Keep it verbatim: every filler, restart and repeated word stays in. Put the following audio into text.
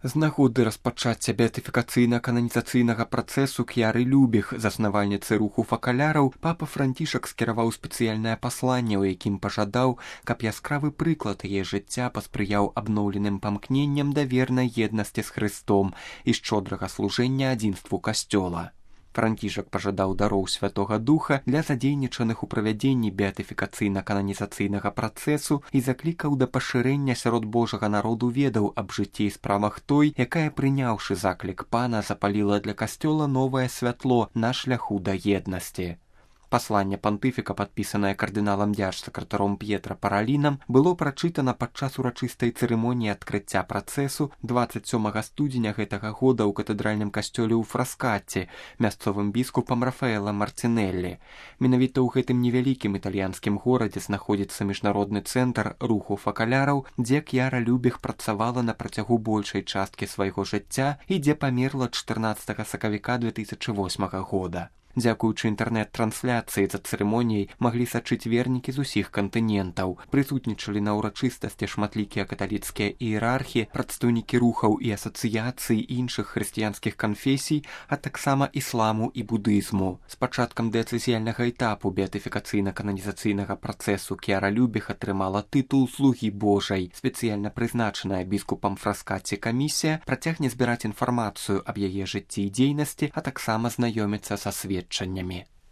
З нагоды распачацця беатыфікацыйна-кананізацыйнага працэсу К'яры Любіх, заснавальніцы руху факаляраў, папа Францішак скіраваў спецыяльнае пасланне, у якім пажадаў, каб яскравы прыклад яе жыцця паспрыяў абноўленым памкненням да вернай еднасці з Хрыстом і шчодрага служэння адзінству касцёла. Францішак пажадаў дароў Святога Духа для задзейнічаных у правядзенні беатыфікацыйна-кананізацыйнага працэсу і заклікаў да пашырэння сярод Божага народу ведаў аб жыцці і справах той, якая, прыняўшы заклік пана, запаліла для касцёла новае святло на шляху да еднасці. Пасланне пантыфіка, падпісанае кардыналам дзяржсакратаром П'етра Паралінам, было прачытана падчас урачыстай цырымоніі адкрыцця працэсу дваццаць сёмага студзеня гэтага года ў катэдральным касцёле ў Фраскаце мясцовым біскупам Рафаэлам Марцінеллі. Менавіта ў гэтым невялікім італьянскім горадзе знаходзіцца міжнародны цэнтр руху факаляраў, дзе К'яра Любіх працавала на працягу большай часткі свайго жыцця і дзе памерла чатырнаццатага сакавіка две тысячы восьмага года. Дзякуючы інтэрнэт-трансляцыі за цырымоніяй маглі сачыць вернікі з усіх кантынентаў. Прысутнічалі на ўрачыстасці шматлікія каталіцкія іерархі, прадстаўнікі рухаў і асацыяцый іншых хрысціянскіх канфесій, а таксама ісламу і будызму. З пачаткам дыяцэзіяльнага этапу беатыфікацыйна-кананізацыйнага працэсу К'яра Любіх атрымала тытул слугі Божай. Спецыяльна прызначаная біскупам Фраскаце камісія працягне збіраць інфармацыю аб яе жыцці і дзейнасці, а таксама знаёміцца са сведчаннямі.